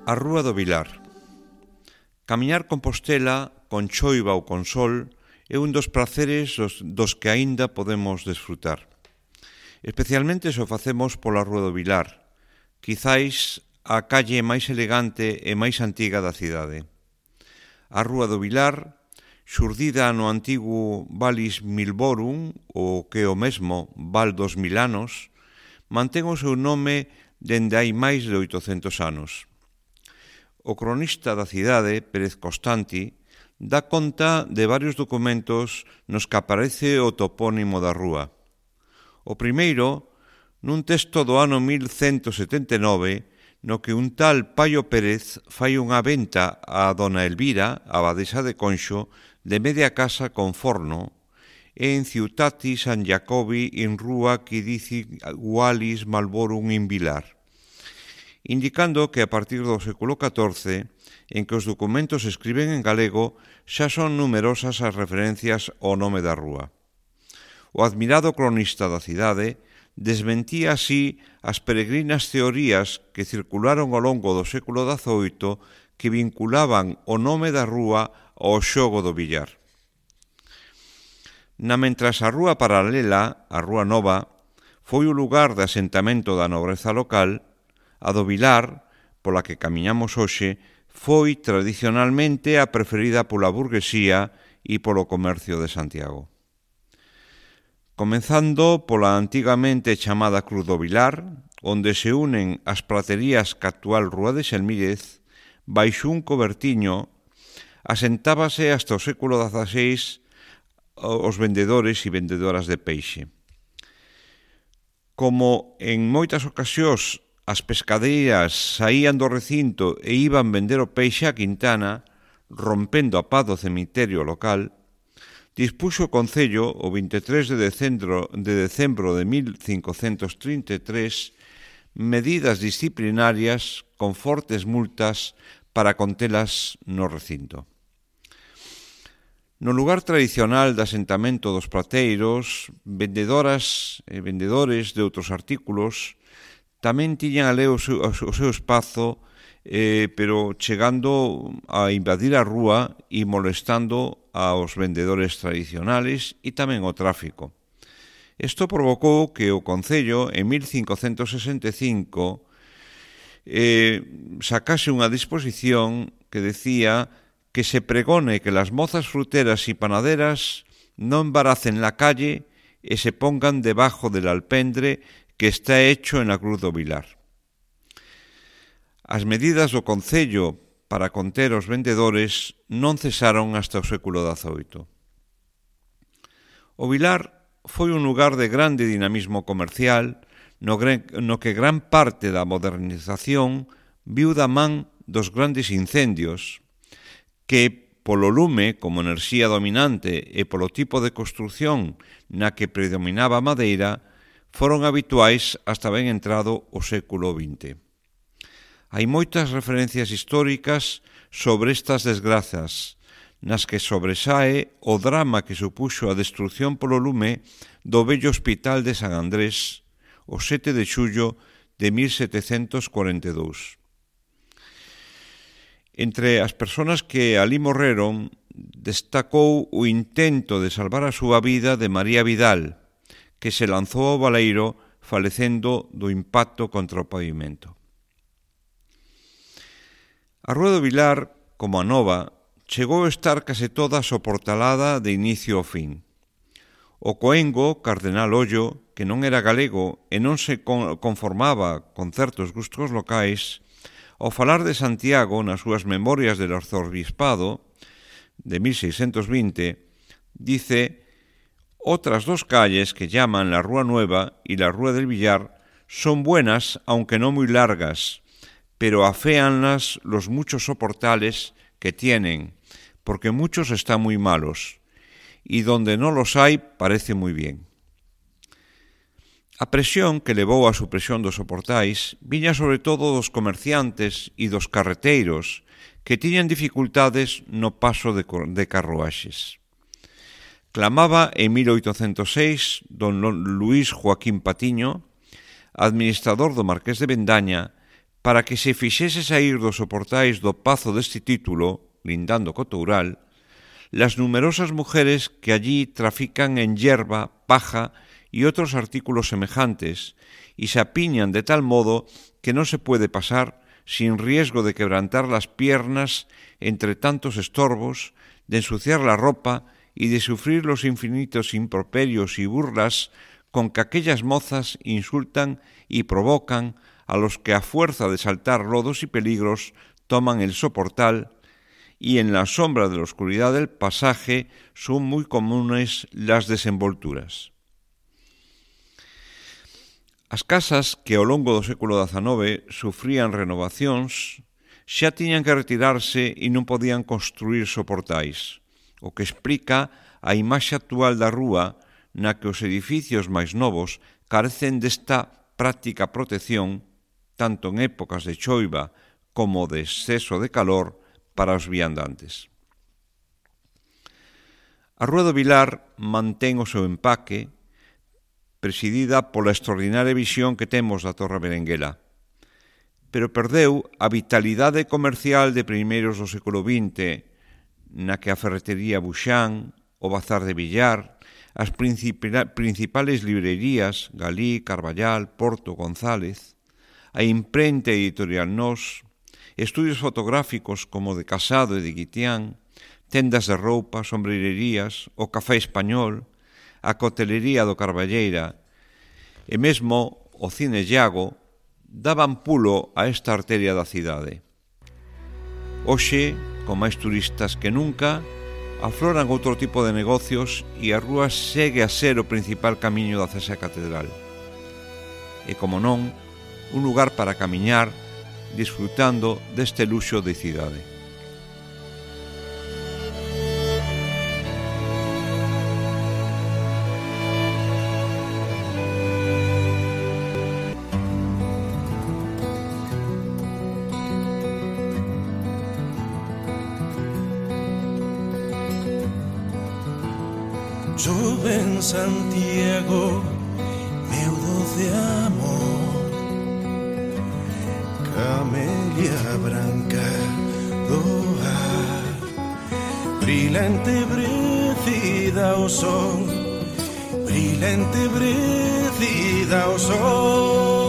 A Rúa do Vilar. Camiñar Compostela con choiva ou con sol é un dos praceres dos que aínda podemos desfrutar. Especialmente se o facemos pola Rúa do Vilar, quizáis a calle máis elegante e máis antiga da cidade. A Rúa do Vilar, xurdida no antigo Valis Milborum, o que é o mesmo Val dos Milanos, mantén o seu nome dende hai máis de 800 anos. O cronista da cidade, Pérez Constanti, dá conta de varios documentos nos que aparece o topónimo da rúa. O primeiro, nun texto do ano 1179, no que un tal Paio Pérez fai unha venta a dona Elvira, abadesa de Conxo, de media casa con forno, en Ciutati San Jacobi in rúa qui dici Valis Malborum in Vilar, indicando que a partir do século XIV, en que os documentos se escriben en galego, xa son numerosas as referencias ao nome da rúa. O admirado cronista da cidade desmentía así as peregrinas teorías que circularon ao longo do século XVIII que vinculaban o nome da rúa ao xogo do billar. Mentras a rúa paralela, a Rúa Nova, foi o lugar de asentamento da nobreza local, a do Vilar, pola que camiñamos hoxe, foi tradicionalmente a preferida pola burguesía e polo comercio de Santiago. Comenzando pola antigamente chamada Cruz do Vilar, onde se unen as praterías que actual Rúa de Xelmírez, baixo un cobertiño, asentábase hasta o século XVI os vendedores e vendedoras de peixe. Como en moitas ocasións as pescadeiras saían do recinto e iban vender o peixe a Quintana, rompendo a paz do cemiterio local, dispuxo o Concello o 23 de decembro de 1533 medidas disciplinarias con fortes multas para contelas no recinto. No lugar tradicional de asentamento dos prateiros, vendedoras e vendedores de outros artículos tamén tiñan ali o seu espazo, pero chegando a invadir a rúa e molestando aos vendedores tradicionales e tamén ao tráfico. Isto provocou que o Concello, en 1565, sacase unha disposición que decía que se pregone que las mozas fruteras e panaderas non embaracen la calle e se pongan debajo del alpendre que está hecho en la Cruz do Vilar. As medidas do Concello para conter os vendedores non cesaron hasta o século XVIII. O Vilar foi un lugar de grande dinamismo comercial no que gran parte da modernización viu da man dos grandes incendios que, polo lume como enerxía dominante e polo tipo de construción na que predominaba a madeira, foron habituais hasta ben entrado o século XX. Hai moitas referencias históricas sobre estas desgrazas, nas que sobresae o drama que supuxo a destrucción polo lume do vello Hospital de San Andrés o 7 de xullo de 1742. Entre as persoas que alí morreron, destacou o intento de salvar a súa vida de María Vidal, que se lanzou ao baleiro falecendo do impacto contra o pavimento. A Rúa do Vilar, como a Nova, chegou a estar case toda soportalada de inicio ao fin. O coengo, Cardenal Ollo, que non era galego e non se conformaba con certos gustos locais, ao falar de Santiago nas súas memorias del arzobispado de 1620, dice: «Otras dos calles que llaman la Rúa Nueva y la Rúa del Villar son buenas, aunque no muy largas, pero aféanlas los muchos soportales que tienen, porque muchos están muy malos, y donde no los hay parece muy bien». A presión que levou á supresión dos soportais viña sobre todo dos comerciantes e dos carreteiros que tiñan dificultades no paso de carruaxes. Clamaba en 1806 don Luís Joaquín Patiño, administrador do Marqués de Bendaña, para que se fixese saír dos soportais do pazo deste título, lindando co Toural, las numerosas mujeres que allí trafican en hierba, paja y otros artículos semejantes, y se apiñan de tal modo que no se puede pasar sin riesgo de quebrantar las piernas entre tantos estorbos, de ensuciar la ropa y de sufrir los infinitos improperios y burlas con que aquellas mozas insultan y provocan a los que a fuerza de saltar lodos y peligros toman el soportal, y en la sombra de la oscuridad del pasaje son muy comunes las desenvolturas. As casas que ao longo do século XIX sufrían renovacións xa tiñan que retirarse e non podían construir soportais, o que explica a imaxe actual da rúa na que os edificios máis novos carecen desta práctica protección tanto en épocas de choiva como de exceso de calor para os viandantes. A Rúa do Vilar mantén o seu empaque, presidida pola extraordinaria visión que temos da Torre Berenguela, pero perdeu a vitalidade comercial de primeiros do século XX, na que a ferretería Buxán, o bazar de Villar, as principales librerías, Galí, Carballal, Porto, González, a imprenta editorial Nós, estudios fotográficos como de Casado e de Guitián, tendas de roupa, sombrererías, o Café Español, a cotelería do Carballeira e mesmo o Cine Llago daban pulo a esta arteria da cidade. Hoxe, con máis turistas que nunca, afloran outro tipo de negocios e a rúa segue a ser o principal camiño da Cesa Catedral. E, como non, un lugar para camiñar disfrutando deste luxo de cidade. Chove en Santiago, meu doce amor, camelia branca do ar, brilante brecida ao sol, brilante brecida ao sol.